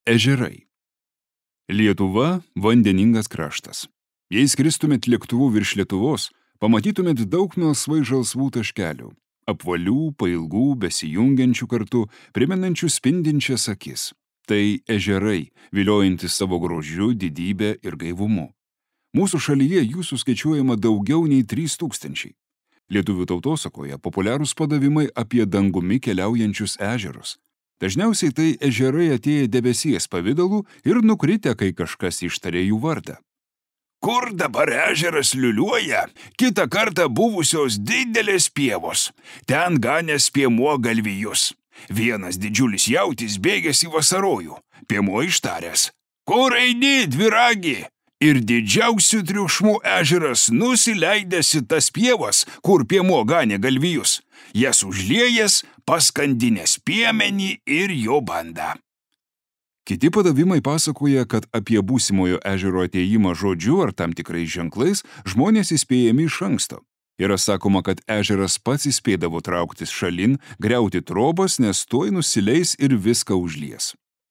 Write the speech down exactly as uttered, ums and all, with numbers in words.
Ežerai. Lietuva – vandeningas kraštas. Jei skristumėt lėktuvu virš Lietuvos, pamatytumėt daug melsvai žalsvų taškelių, apvalių, pailgų, besijungiančių kartu, primenančių spindinčias akis. Tai ežerai, viliojantis savo grožiu, didybę ir gaivumu. Mūsų šalyje jų suskaičiuojama daugiau nei trys tūkstančiai. Lietuvių tautosakoje populiarūs padavimai apie dangumi keliaujančius ežerus. Dažniausiai tai ežerai atėję debesies pavidalų ir nukritę, kai kažkas ištarė jų vardą. Kur dabar ežeras liuliuoja, kitą kartą buvusios didelės pievos. Ten ganęs piemuo galvijus. Vienas didžiulis jautis bėgęs į vasarojų. Piemuo ištaręs: "Kur eini, dviragi?" Ir didžiausių triukšmų ežeras nusileidęs į tas pievas, kur piemuo ganė galvijus. Jas užliejęs, paskandinęs piemenį ir jo bandą. Kiti padavimai pasakoja, kad apie būsimojo ežero atėjimą žodžiu ar tam tikrais ženklais žmonės įspėjami iš anksto. Yra sakoma, kad ežeras pats įspėdavo trauktis šalin, griauti trobas, nes tuoj nusileis ir viską užlies.